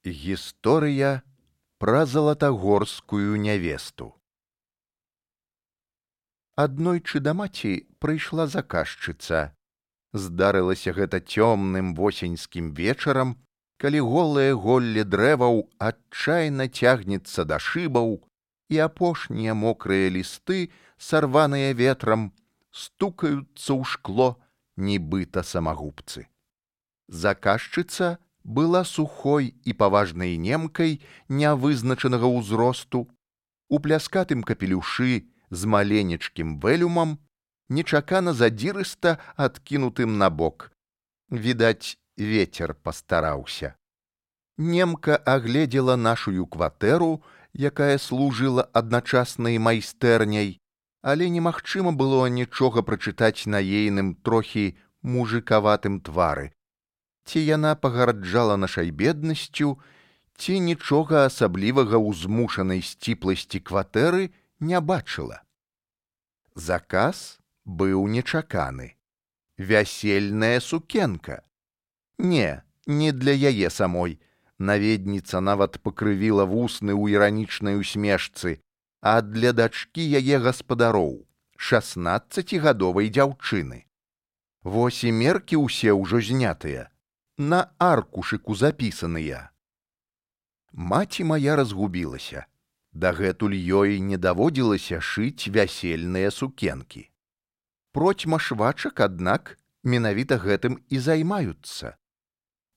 Гісторыя пра залатагорскую нявесту. Аднойчы да маці прыйшла заказчыца. Здарылася гэта цёмным восеньскім вечарам, калі голае голле дрэваў адчайна цягнецца да шыбаў, і апошнія мокрыя лісты, сарваныя ветрам, стукаюцца ў шкло, нібыта самагубцы. Заказчыца была сухой і паважнай немкай нявызначанага ўзросту, у пляскатым капелюшы з маленечкім вэлюмам, нечакана задзірыста адкінутым набок. Відаць, вецер пастараўся. Немка агледзела нашую кватэру, якая служыла адначасна і майстэрняй, але немагчыма было нічога прачытаць на ейным трохі мужыкаватым твары. Ці яна пагарджала нашай беднасцю, ці нічога асаблівага ў змушанай сціпласці кватэры не бачыла. Заказ быў нечаканы. Вясельная сукенка. Не для яе самой. Наведніца нават пакрывіла вусны ў іранічнай усмешцы, а для дачкі яе гаспадароў, 16гадовай дзяўчыны. Вось і меркі ўсе ўжо знятыя, на аркушыку запісаныя. Маці мая разгубілася. Дагэтуль ёй не даводзілася шыць вясельныя сукенкі. Процьма швачак, аднак, менавіта гэтым і займаюцца.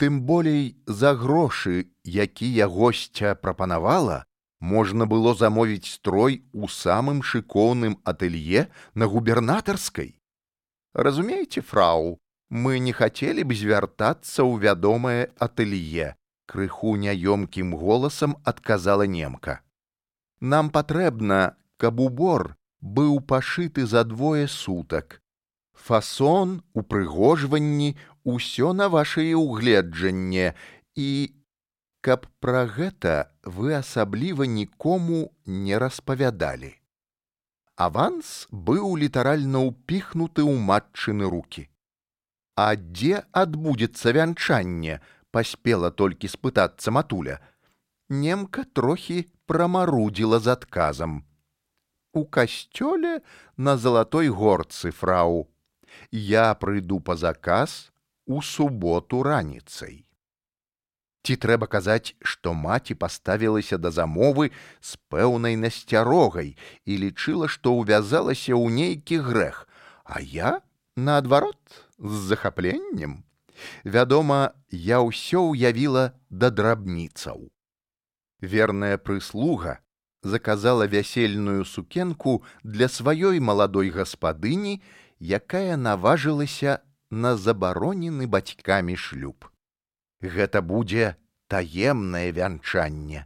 Тым болей за грошы, якія госця прапанавала, можна было замовіць строй у самым шыкоўным атэлье на губернатарскай. Разумееце, фрау, мы не хацелі б звяртацца ў вядомае атэлье, крыху няёмкім голасам адказала немка. Нам патрэбна, каб убор быў пашыты за 2 сутак. Фасон, упрыгожванні, усё на вашае ўгледжанне, і каб пра гэта вы асабліва нікому не распавядалі. Аванс быў літаральна ўпіхнуты ў матчыны рукі. А дзе адбудзецца вянчанне, паспела толькі спытацца матуля. Немка трохі прамарудзіла з адказам. У касцёле на Залатой горцы, фрау. Я прыйду па заказ у суботу раніцай. Ці трэба казаць, што маці паставілася да замовы з пэўнай насцярогай і лічыла, што ўвязалася ў нейкі грэх, а я, наадварот, з захапленнем. Вядома, я ўсё ўявіла да драбніцаў. Верная прыслуга заказала вясельную сукенку для сваёй маладой гаспадыні, якая наважылася на забаронены бацькамі шлюб. Гэта будзе таемнае вянчанне.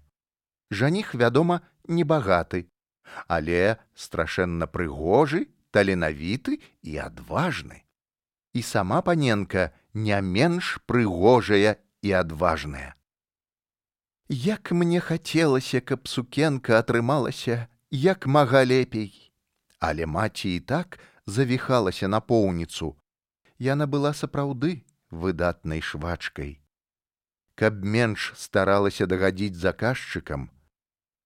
Жаніх, вядома, небагаты, але страшэнна прыгожы, таленавіты і адважны. І сама паненка не менш прыгожая і адважная. Як мне хацелася, каб сукенка атрымалася як мага лепей. Але маці і так завіхалася напоўніцу. Яна была сапраўды выдатнай швачкай. Каб менш старалася дагадзіць заказчыкам,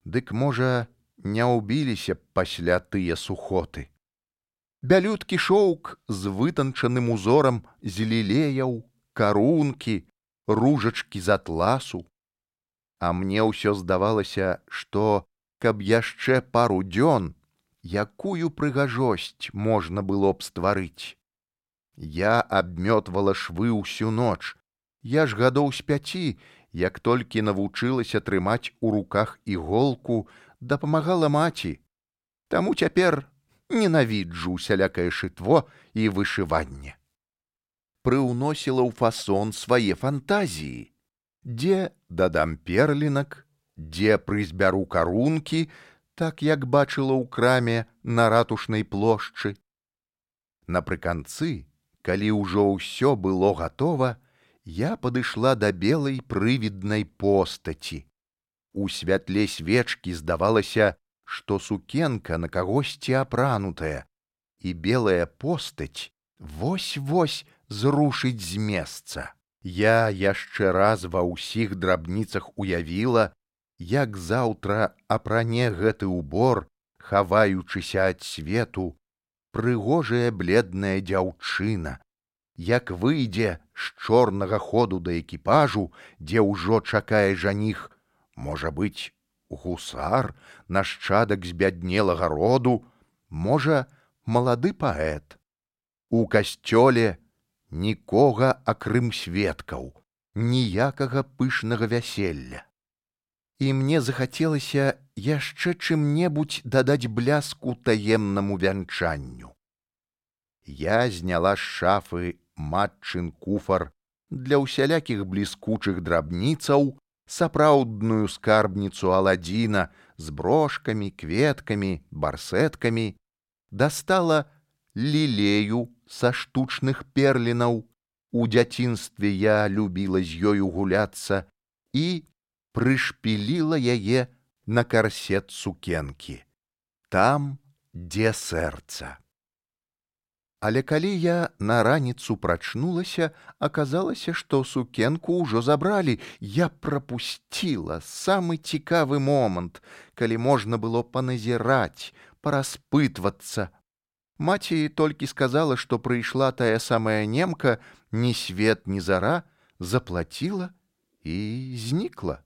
дык, можа, не ўбіліся б пасля тыя сухоты. Бялюткі шоўк з вытанчаным узорам з лілеяў, карункі, ружачкі з атласу. А мне ўсё здавалася, што, каб яшчэ пару дзён, якую прыгажосць можна было б стварыць. Я абмётвала швы ўсю ноч. Я ж гадоў з 5, як толькі навучылася трымаць у руках іголку, дапамагала маці. Таму цяпер ненавіджу усялякае шытво і вышыванне. Прыўносіла ў фасон свае фантазіі. Дзе дадам перлінак, дзе прызбяру карункі, так як бачыла ў краме на ратушнай плошчы. Напрыканцы, калі ўжо ўсё было гатова, я падышла да белай прывіднай постаці. У святле свечкі здавалася, што сукенка на кагосьці апранутая, і белая постаць вось-вось зрушыць з месца. Я яшчэ раз ва ўсіх драбніцах уявіла, як заўтра апране гэты ўбор, хаваючыся ад свету, прыгожая бледная дзяўчына, як выйдзе з чорнага ходу да экіпажу, дзе ўжо чакае жаніх, можа быць, гусар, нашчадак збяднелага роду, можа, малады паэт. У касцёле нікога акрым сведкаў, ніякага пышнага вяселля. І мне захацелася яшчэ чым-небудзь дадаць бляску таемнаму вянчанню. Я зняла з шафы матчын куфар для ўсялякіх бліскучых драбніцаў, сапраўдную скарбніцу Аладзіна з брошкамі, кветкамі, барсэткамі, дастала лілею са штучных перлінаў. У дзяцінстве я любіла з ёю гуляцца і прышпіліла яе на карсет сукенкі. Там, дзе сэрца. Але калі я на раніцу прачнулася, аказалася, што сукенку ўжо забралі. Я прапусціла самы цікавы момант, калі можна было паназіраць, параспытвацца. Маці толькі сказала, што прыйшла тая самая немка, ні свет, ні зара, заплаціла і знікла.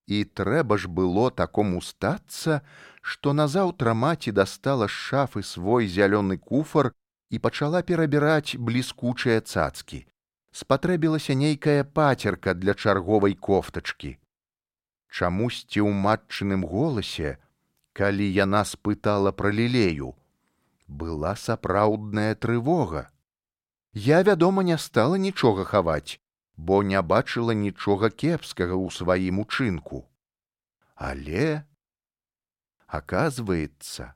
І трэба ж было такому стацца, што назаўтра маці дастала з шафы свой зялёны куфар і пачала перабіраць бліскучыя цацкі. Спатрэбілася нейкая пацерка для чарговай кофтачкі. Чамусьці ў матчыным голасе, калі яна спытала пра лілею, была сапраўдная трывога. Я, вядома, не стала нічога хаваць, бо не бачыла нічога кепскага ў сваім учынку. Але, аказваецца,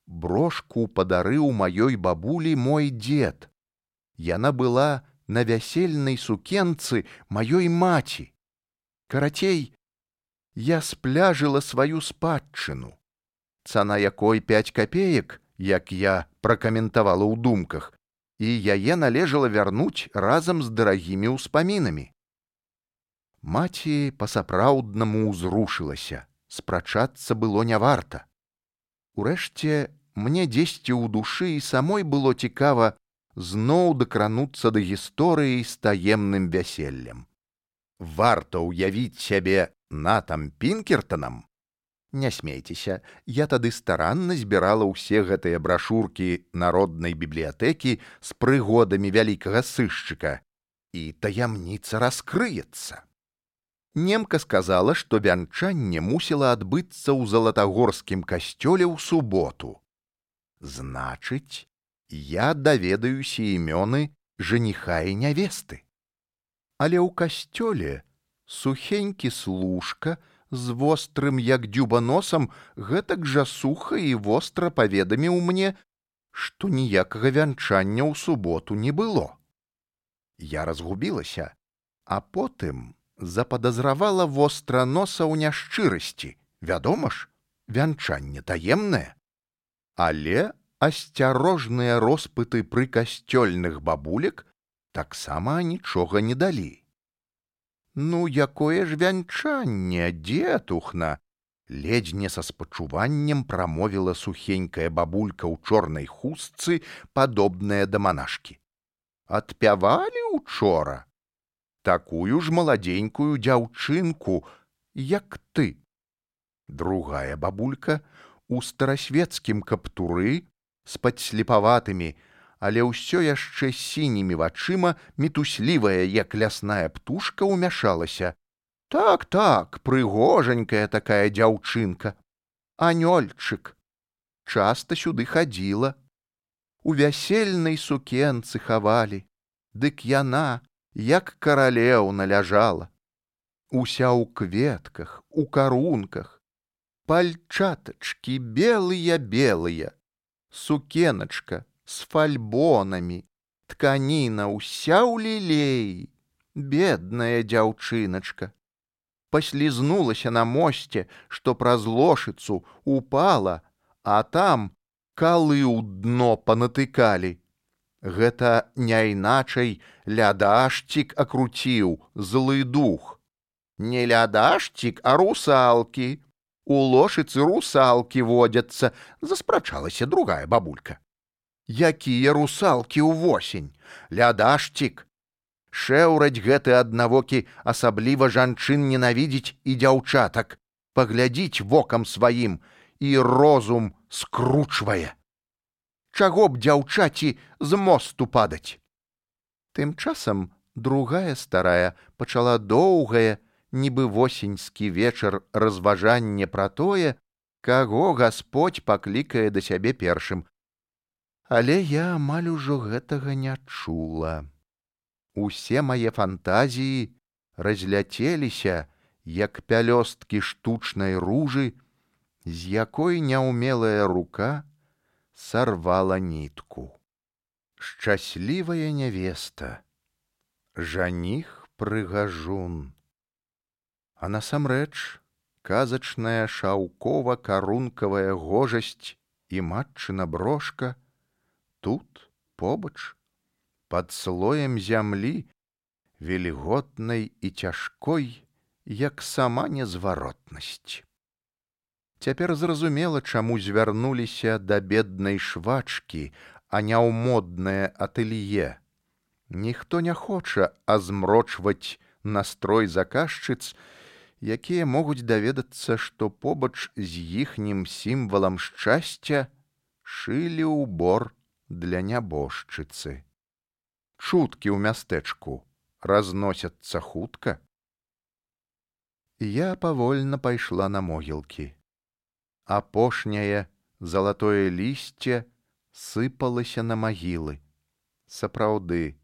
брошку падарыў маёй бабулі мой дзед. Яна была на вясельнай сукенцы маёй маці. Карацей, я спляжыла сваю спадчыну, цана якой 5 капеек, як я пракаментавала ў думках, і яе належала вярнуць разам з дарагімі ўспамінамі. Маці па-сапраўднаму ўзрушылася, спрачацца было не варта. Урэшце, мне дзесьці ў душы і самой было цікава зноў дакрануцца да гісторыі з таемным вяселлем. Варта ўявіць сябе Натам Пінкертанам? Не смейцеся, я тады старанна збірала ўсе гэтыя брашуркі народнай бібліятэкі з прыгодамі вялікага сышчыка, і таямніца раскрыецца. Немка сказала, што вянчанне мусіла адбыцца ў залатагорскім касцёле ў суботу. Значыць, я даведаюся імёны жаніха і нявесты. Але ў касцёле сухенькі служка з вострым, як дзюба носам, гэтак жа суха і востра паведаміў мне, што ніякага вянчання ў суботу не было. Я разгубілася, а потым западазравала востра носа ў няшчырасці. Вядома ж, вянчанне таемнае. Але асцярожныя роспыты пры касцёльных бабулек таксама нічога не далі. Ну, якое ж вянчанне, дзетухна! Ледзь не са спачуваннем прамовіла сухенькая бабулька ў чорнай хустцы, падобная да манашкі. Адпявалі учора? Такую ж маладзенькую дзяўчынку, як ты. Другая бабулька у старасвецкім каптуры з падслепаватымі, але ўсё яшчэ сінімі вачыма, мітуслівая, як лясная птушка, умяшалася. Так, прыгожанькая такая дзяўчынка. Анёльчык. Часта сюды хадзіла. У вясельнай сукенцы хавалі. Дык яна, як каралеўна, ляжала. Уся ў кветках, у карунках. Пальчатачкі белыя-белыя. Сукеначка з фальбонамі, тканіна ўся ў лілеі, бедная дзяўчыначка. Паслізнулася на мосце, што праз лошыцу упала, а там калы ў дно панатыкалі. Гэта не іначай лядашчик акруціў, злы дух. Не лядашчик, а русалкі. У лошыцы русалкі водзяцца, заспрачалася другая бабулька. Якія русалкі ўвосень? Лядашчик. Шэўраць гэты аднавокі асабліва жанчын ненавідзіць і дзяўчатак, паглядзіць вокам сваім, і розум скручвае. Чаго б дзяўчаці з мосту падаць? Тым часам другая старая пачала доўгае, нібы восеньскі вечар разважанне пра тое, каго Гасподзь паклікае да сябе першым. Але я амаль ужо гэтага не чула. Усе мае фантазіі разляцеліся, як пялёсткі штучнай ружы, з якой няўмелая рука сарвала нітку. Шчаслівая нявеста, жаніх прыгажун. А насамрэч казачная шаўкова-карункавая гожасць і матчына брошка тут, побач, пад слоем зямлі, вільготнай і цяжкой, як сама незваротнасць. Цяпер зразумела, чаму звярнуліся да беднай швачкі, а не ў моднае атэлье. Ніхто не хоча азмрочваць настрой заказчыц, якія могуць даведацца, што побач з іхнім сімвалам шчасця шылі ўбор для нябожчыцы. Чуткі ў мястэчку разносяцца хутка. Я павольна пайшла на могілкі. Апошняе залатое лісце сыпалася на магілы. Сапраўды,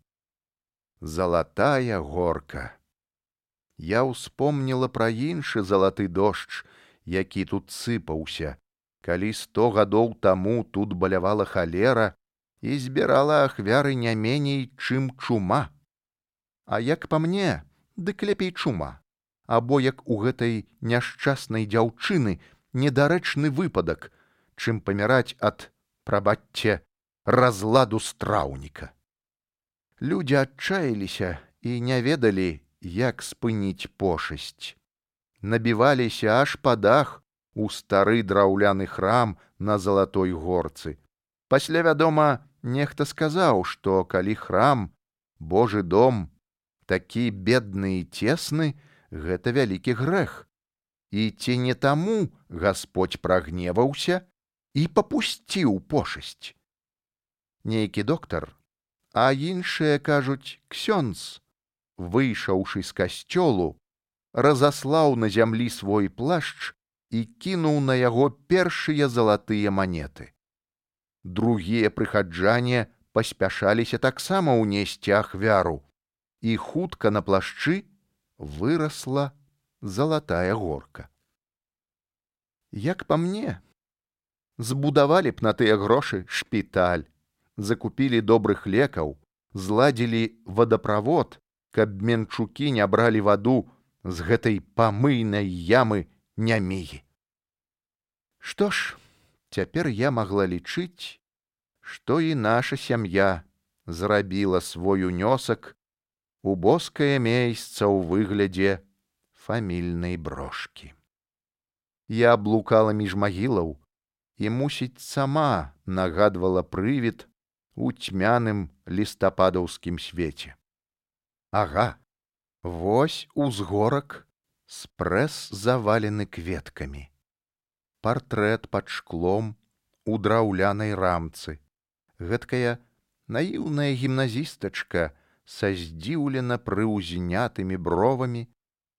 залатая горка. Я ўспомніла пра іншы залаты дождж, які тут сыпаўся, калі 100 гадоў таму тут балявала халера і збірала ахвяры не меней, чым чума. А як па мне, дык лепей чума, або як у гэтай няшчаснай дзяўчыны недарэчны выпадак, чым паміраць ад, прабачце, разладу страўніка. Людзі адчаяліся і не ведалі, як спыніць пошасць. Набіваліся аж па дах у стары драўляны храм на Залатой горцы. Пасля, вядома, нехта сказаў, што калі храм, Божы дом, такі бедны і цесны, гэта вялікі грэх. І ці не таму Гасподзь прагневаўся і папусціў пошасць. Нейкі доктар, а іншыя кажуць ксёндз, выйшаўшы з касцёлу, разаслаў на зямлі свой плашч і кінуў на яго першыя залатыя манеты. Другія прыхаджане паспяшаліся таксама ўнесці ахвяру, і хутка на плашчы вырасла залатая горка. Як па мне, збудавалі б на тыя грошы шпіталь, закупілі добрых лекаў, зладзілі вадаправод, каб менчукі не бралі ваду з гэтай памыйнай ямы нямігі. Што ж, цяпер я магла лічыць, што і наша сям'я зрабіла свой унёсак у боскае месца ў выглядзе фамільнай брошкі. Я блукала між магілаў і, мусіць, сама нагадвала прывід у цьмяным лістападаўскім свеце. Ага, вось узгорак спрэс завалены кветкамі. Партрэт пад шклом у драўлянай рамцы. Гэткая наіўная гімназістачка са здзіўлена прыўзнятымі бровамі,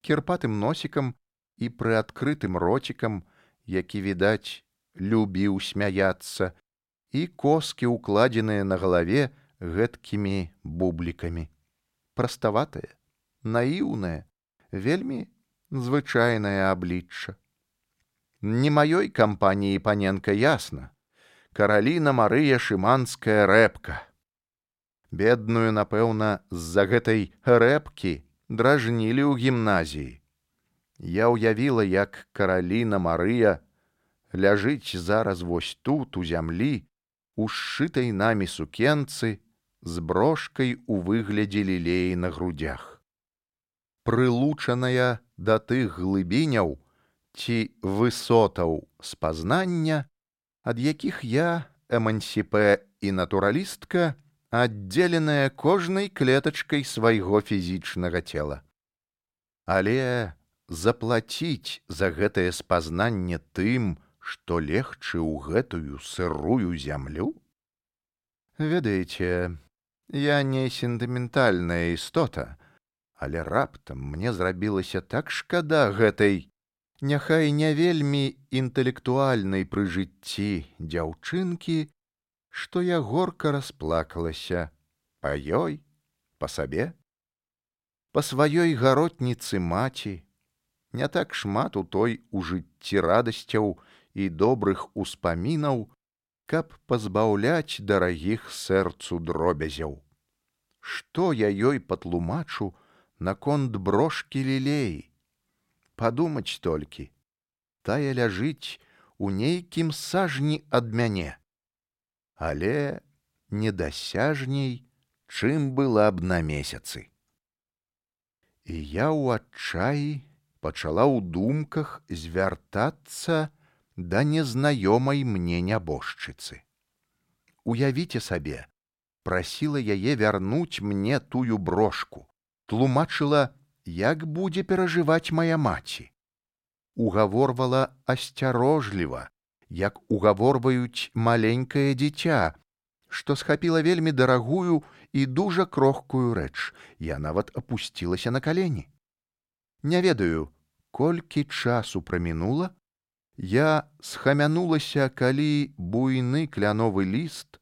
кірпатым носікам і прыадкрытым роцікам, які, відаць, любіў смяяцца, і коскі, укладзеныя на галаве гэткімі бублікамі. Праставатае, наіўнае, вельмі звычайнае аблічча. Не маёй кампаніі паненка, ясна. Караліна Марыя Шыманская рэпка. Бедную, напэўна, з-за гэтай рэпкі дражнілі ў гімназіі. Я ўявіла, як Караліна Марыя ляжыць зараз вось тут, у зямлі, у сшытай намі сукенцы, з брошкай у выглядзе лілеі на грудях. Прылучаная да тых глыбіняў ці высотаў спазнання, ад якіх я, эмансіпе і натуралістка, аддзеленая кожнай клетачкай свайго фізічнага цела. Але заплаціць за гэтае спазнанне тым, што легчы ў гэтую сырую зямлю? Ведаеце, я не сентыментальная істота, але раптам мне зрабілася так шкада гэтай, няхай не вельмі інтэлектуальнай пры жыцці дзяўчынкі, што я горка расплакалася па ёй, па сабе, па сваёй гаротніцы маці. Не так шмат у той у жыцці радасцяў і добрых успамінаў, каб пазбаўляць дарагіх сэрцу дробязяў. Што я ёй патлумачу наконт брошкі лілеі? Падумаць толькі, тая ляжыць у нейкім сажні ад мяне, але недасяжней, чым была б на месяцы. І я ў адчаі пачала ў думках звяртацца да незнаёмай мне нябожчыцы. Уявіце сабе, прасіла яе вярнуць мне тую брошку, тлумачыла, як будзе перажываць мая маці. Угаворвала асцярожліва, як угаворваюць маленькае дзіця, што схапіла вельмі дарагую і дужа крохкую рэч. Я нават апусцілася на калені. Не ведаю, колькі часу прамінула, я схамянулася, калі буйны кляновы ліст,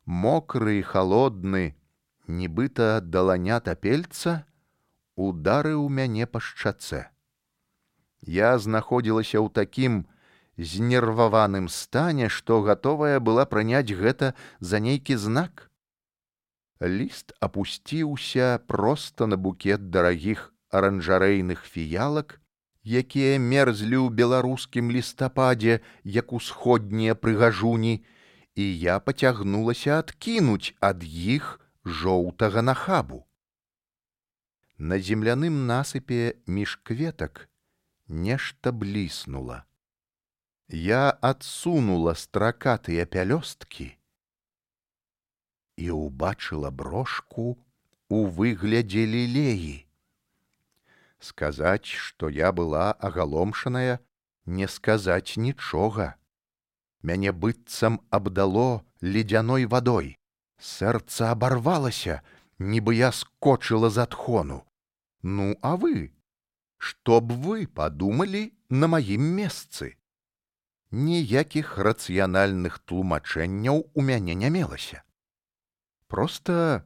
мокры і халодны, нібыта даланя тапельца, ударыў мяне па шчацэ. Я знаходзілася ў такім знерваваным стане, што гатовая была прыняць гэта за нейкі знак. Ліст апусціўся проста на букет дарагіх аранжарэйных фіялак, якія мерзлі ў беларускім лістападзе, як усходнія прыгажуні, і я пацягнулася адкінуць ад іх жоўтага нахабу. На земляным насыпе між кветак нешта бліснула. Я адсунула стракатыя пялёсткі і ўбачыла брошку у выглядзе лілеі. Сказаць, што я была агаломшаная, не сказаць нічога. Мяне быццам абдало ледзяной вадой. Сэрца абарвалася, нібы я скочыла з адхону. Ну, а вы? Што б вы падумалі на маім месцы? Ніякіх рацыянальных тлумачэнняў у мяне не мелася. Проста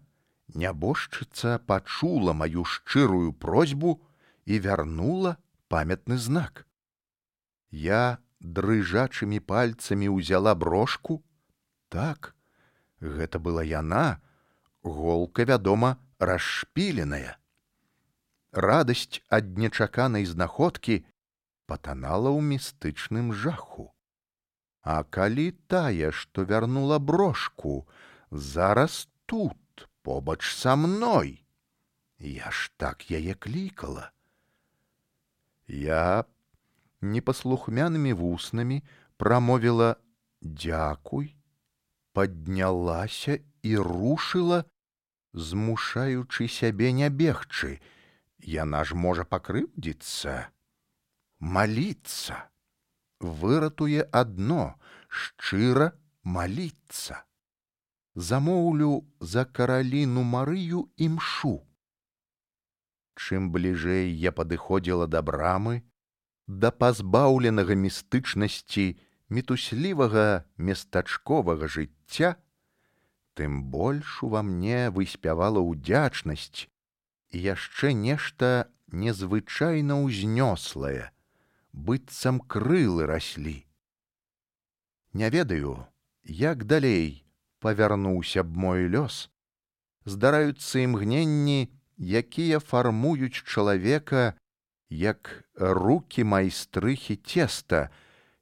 нябожчыца пачула маю шчырую просьбу і вярнула памятны знак. Я дрыжачымі пальцамі ўзяла брошку. Так, гэта была яна, голка, вядома, расшпіленая. Радасць ад нечаканай знаходкі патанала ў містычным жаху. А калі тая, што вярнула брошку, зараз тут, побач са мной? Я ж так яе клікала. Я непаслухмянымі вуснамі прамовіла «дзякуй», паднялася і рушыла, змушаючы сябе не бегчы. Яна ж можа пакрыўдзіцца, маліцца. Выратуе адно — шчыра маліцца. Замоўлю за караліну Марыю імшу. Чым бліжэй я падыходзіла да брамы, да пазбаўленага містычнасці мітуслівага местачковага жыцця, тым больш ува мне выспявала ўдзячнасць і яшчэ нешта незвычайна ўзнёслае, быццам крылы раслі. Не ведаю, як далей павярнуўся б мой лёс. Здараюцца імгненні, якія фармуюць чалавека, як рукі майстрыхі цеста,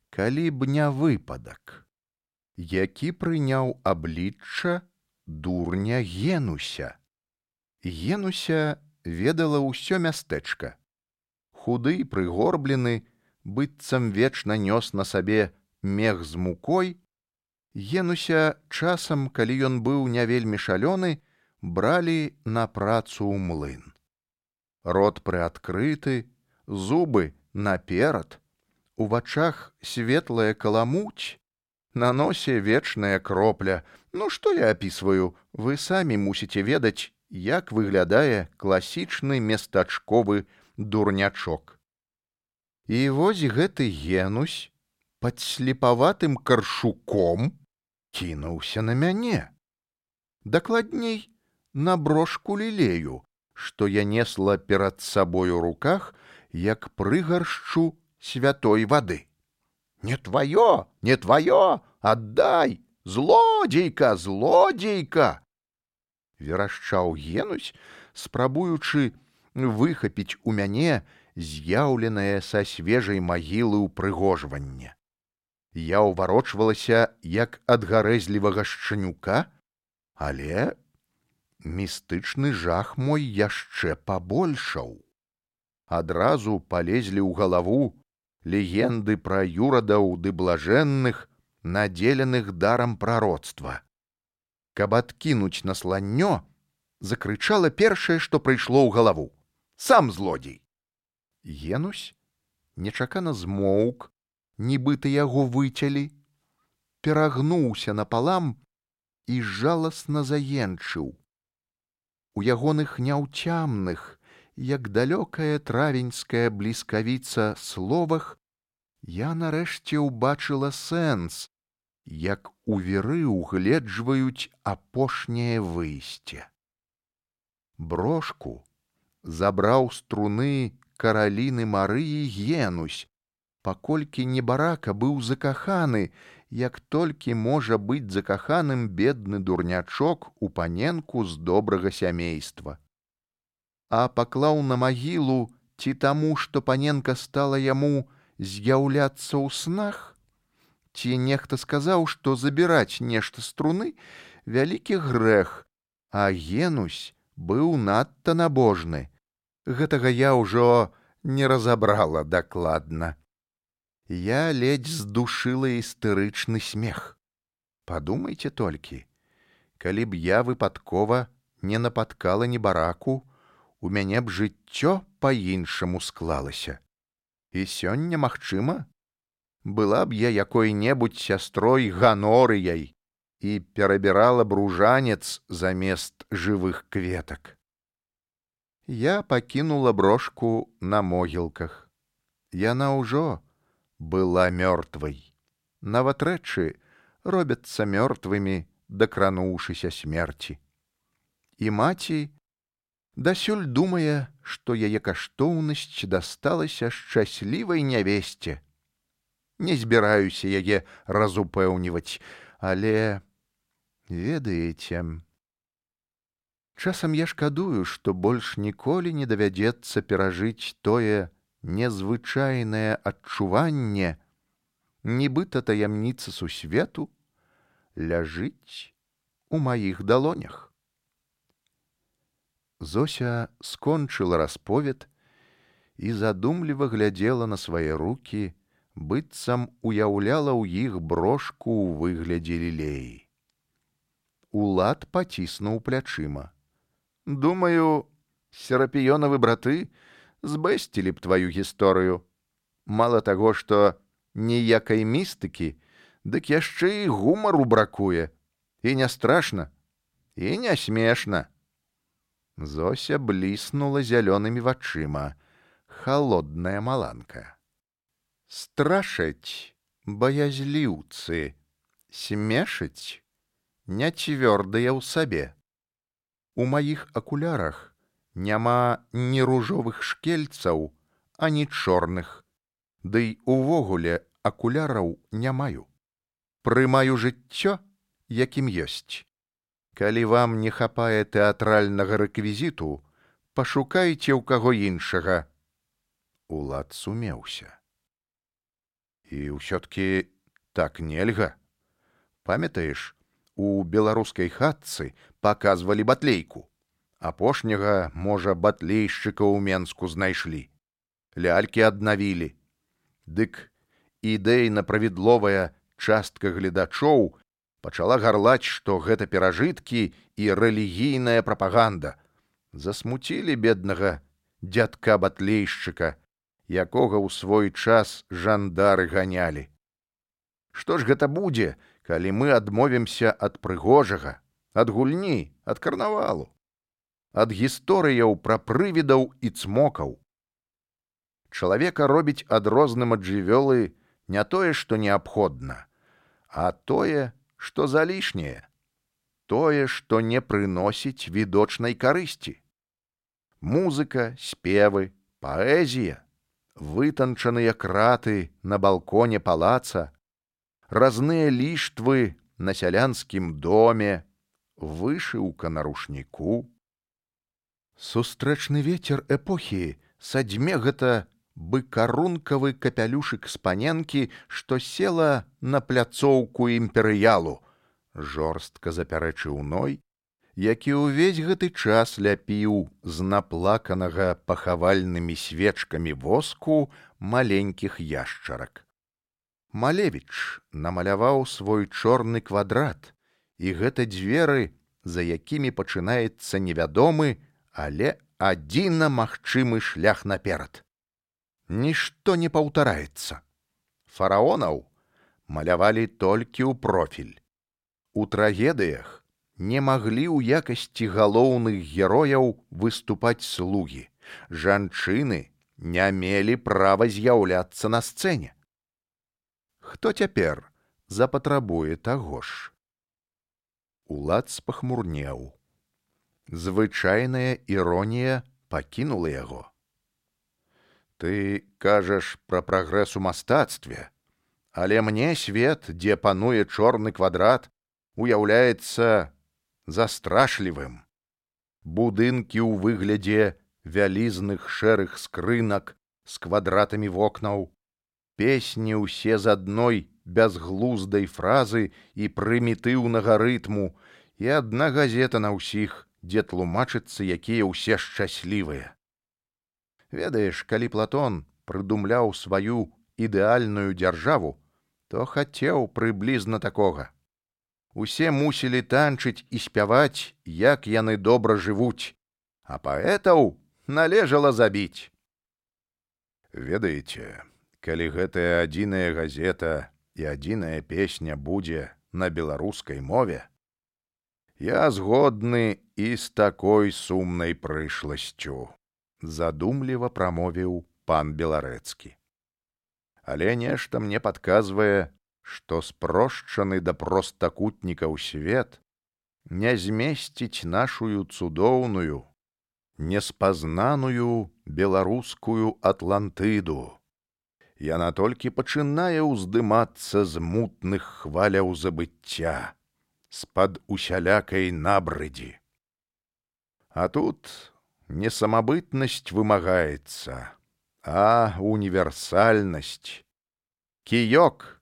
калі б не выпадак, які прыняў аблічча дурня Генуся. Генуся ведала ўсё мястэчка. Худы, прыгорблены, быццам вечна нёс на сабе мех з мукой, Генуся часам, калі ён быў не вельмі шалёны, бралі на працу ў млын. Рот прыадкрыты, зубы наперад, у вачах светлая каламуць, на носе вечная кропля. Ну, што я апісваю, вы самі мусіце ведаць, як выглядае класічны местачковы дурнячок. І вось гэты Генусь пад слепаватым каршуком кінуўся на мяне. Дакладней, на брошку лілею, што я несла перад сабой у руках, як прыгаршчу святой вады. «Не твоё, не твоё, отдай! Злодзейка, злодзейка!» верашчаў Генусь, спрабуючы выхапіць у мяне з'яўленае са свежай магілы ўпрыгожванне. Я ўварочвалася, як ад гарэзлівага шчанюка, але містычны жах мой яшчэ пабольшаў. Адразу палезлі ў галаву легенды пра юрадаў ды блажэнных, надзеленых дарам прароцтва. Каб адкінуць насланнё, закрычала першае, што прыйшло ў галаву: «Сам злодзей!» Генусь нечакана змоўк, нібыта яго выцялі, перагнуўся напалам і жаласна заенчыў. У ягоных няўцямных, як далёкая травеньская бліскавіца, словах я нарэшце ўбачыла сэнс, як у віры угледжваюць апошняе выйсце. Брошку забраў з труны караліны Марыі Генусь, паколькі небарака быў закаханы, як толькі можа быць закаханым бедны дурнячок у паненку з добрага сямейства. А паклаў на магілу ці таму, што паненка стала яму з'яўляцца ў снах, ці нехта сказаў, што забіраць нешта з труны вялікі грэх, а Генусь быў надта набожны. Гэтага я ўжо не разабрала дакладна. Я ледзь здушыла істэрычны смех. Падумайце толькі, калі б я выпадкова не напаткала небараку, у мяне б жыццё па-іншаму склалася. І сёння, магчыма, была б я якой-небудзь сястрой Ганорыяй і перабірала б ружанец замест жывых кветак. Я пакінула брошку на могілках. Яна ўжо была мёртвай. Нават рэчы робяцца мёртвымі, дакрануўшыся смерці. І маці дасюль думае, што яе каштоўнасць дасталася шчаслівай нявесце. Не збіраюся яе разупэўніваць, але, ведаеце, часам я шкадую, што больш ніколі не давядзецца перажыць тое незвычайнае адчуванне, нібыта таямніца сусвету ляжыць у маіх далонях. Зося скончыла расповед і задумліва глядзела на свае рукі, быццам уяўляла ў іх брошку ў выглядзе лілеі. Улад паціснуў плячыма. «Думаю, серапіёнавы браты збэсцілі б тваю гісторыю. Мала таго, што ніякай містыкі, дык яшчэ і гумару бракуе. І не страшна, і не смешна». Зося бліснула зялёнымі вачыма, халодная маланка. «Страшаць баязліўцы, смешаць няцвёрдыя ў сабе. У маіх акулярах няма ні ружовых шкельцаў, ані чорных, дый увогуле акуляраў не маю. Прымаю жыццё, якім ёсць. Калі вам не хапае тэатральнага рэквізіту, пашукайце ў каго іншага». Улад сумеўся. «І ўсё-ткі так нельга. Памятаеш, у беларускай хатцы паказвалі батлейку. Апошняга, можа, батлейшчыка ў Менску знайшлі. Лялькі аднавілі. Дык ідэйна-правідловая частка гледачоў пачала гарлаць, што гэта перажыткі і рэлігійная прапаганда. Засмуцілі беднага дзядка батлейшчыка, якога ў свой час жандары ганялі. Што ж гэта будзе, калі мы адмовімся ад прыгожага, ад гульні, ад карнавалу, ад гісторыяў пра прывідаў і цмокаў? Чалавека робіць адрозным ад жывёлы не тое, што неабходна, а тое, што залішняе, тое, што не прыносіць відочнай карысці. Музыка, спевы, паэзія, вытанчаныя краты на балконе палаца, разныя ліштвы на сялянскім доме, вышыўка на рушніку. Сустрэчны вецер эпохі садзьме гэта быкарункавы капялюшык з паненкі, што села на пляцоўку імперыялу, жорстка запярэчыў Ной, які ўвесь гэты час ляпіў з наплаканага пахавальнымі свечкамі воску маленькіх яшчарак. Малевіч намаляваў свой чорны квадрат, і гэта дзверы, за якімі пачынаецца невядомы, але адзіна магчымы шлях наперад. Нішто не паўтараецца. Фараонаў малявалі толькі ў профіль. У трагедыях не маглі ў якасці галоўных герояў выступаць слугі. Жанчыны не мелі права з'яўляцца на сцэне. Хто цяпер запатрабуе таго ж? Улад спахмурнеў. Звычайная іронія пакінула яго. Ты кажаш пра прагрэс у мастацтве, але мне свет, дзе пануе чорны квадрат, уяўляецца застрашлівым. Будынкі ў выглядзе вялізных шэрых скрынак з квадратамі вокнаў, песні ўсе з адной бязглуздай фразы і прымітыўнага рытму, і адна газета на ўсіх, дзе тлумачыцца, якія ўсе шчаслівыя. Ведаеш, калі Платон прыдумляў сваю ідэальную дзяржаву, то хацеў прыблізна такога. Усе мусілі танчыць і спяваць, як яны добра жывуць, а паэтаў належала забіць. Ведаеце, калі гэтая адзіная газета і адзіная песня будзе на беларускай мове, я згодны і з такой сумнай прышласцю, задумліва прамовіў пан Беларэцкі. Але нешта мне падказвае, што спрошчаны да простакутнікаў свет не змесціць нашую цудоўную, неспазнаную беларускую Атлантыду. Яна толькі пачынае ўздымацца з мутных хваляў забыцця, з-пад усялякай набрыдзі. А тут не самабытнасць вымагаецца, а універсальнасць, кіёк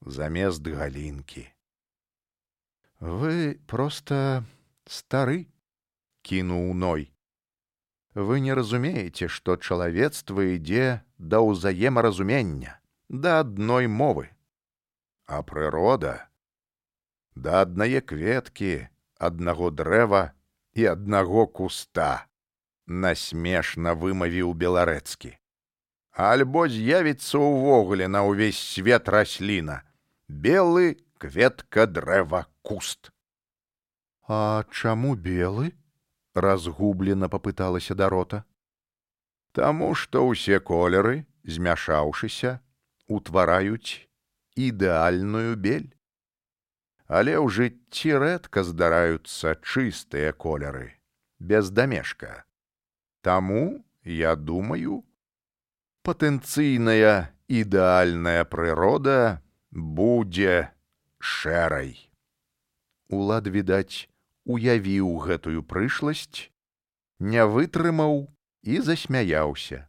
замест галінкі. Вы проста стары, кінуў Ной. Вы не разумееце, што чалавецтва ідзе да ўзаемаразумення, да адной мовы. А прырода да аднае кветкі, аднаго дрэва і аднаго куста, насмешна вымавіў Беларэцкі. Альбо з'явіцца ўвогуле на ўвесь свет расліна: белы, кветка, дрэва, куст. А чаму белы? Разгублена папыталася Дарота. Таму што ўсе колеры, змяшаўшыся, утвараюць ідэальную бель. Але ў жыцці рэдка здараюцца чыстыя колеры, без дамешка. Таму, я думаю, патэнцыйная ідэальная прырода будзе шэрай. Улад, відаць, уявіў гэтую прышласць, не вытрымаў і засмяяўся.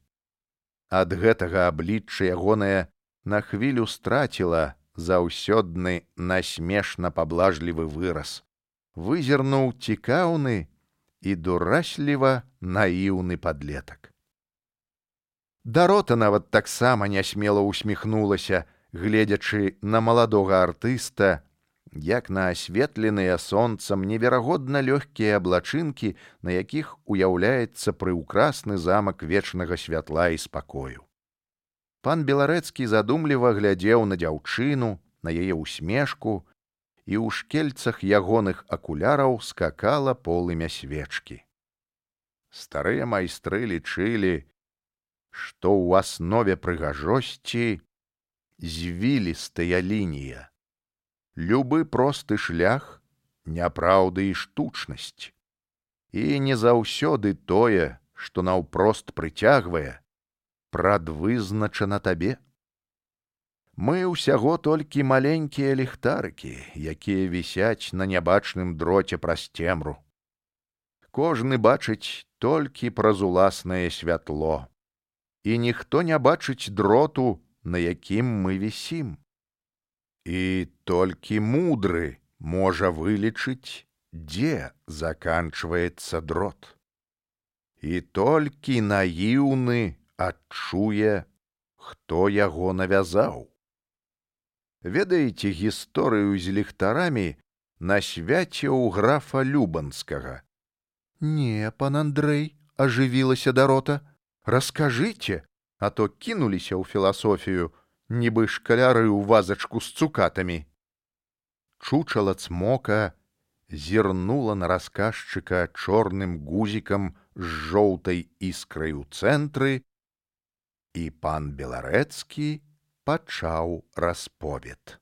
Ад гэтага аблічча ягонае на хвілю страціла заўсёдны насмешна паблажлівы выраз, вызірнуў цікаўны і дурасліва наіўны падлетак. Дарота нават таксама нясмела усміхнулася, гледзячы на маладога артыста, як на асветленыя сонцам неверагодна лёгкія аблачынкі, на якіх уяўляецца прыўкрасны замак вечнага святла і спакою. Пан Беларэцкі задумліва глядзеў на дзяўчыну, на яе усмешку, і ў шкельцах ягоных акуляраў скакала полымя свечкі. Старыя майстры лічылі, што ў аснове прыгажосці звілістая лінія, любы просты шлях няпраўды і штучнасць, і не заўсёды тое, што наўпрост прыцягвае, прадвызначана табе. Мы ўсяго толькі маленькія ліхтарыкі, якія вісяць на нябачным дроце праз цемру. Кожны бачыць толькі праз уласнае святло, і ніхто не бачыць дроту, на якім мы вісім. І толькі мудры можа вылічыць, дзе заканчваецца дрот. І толькі наіўны адчуе, хто яго навязаў. Ведаеце гісторыю з ліхтарамі на свяце ў графа Любанскага? Не, пан Андрэй, ажывілася Дарота, раскажыце, а то кінуліся ў філасофію, нібы шкаляры ў вазачку з цукатамі. Чучала цмока зірнула на расказчыка чорным гузікам з жоўтай іскрай у цэнтры, і пан Беларэцкі пачаў расповед.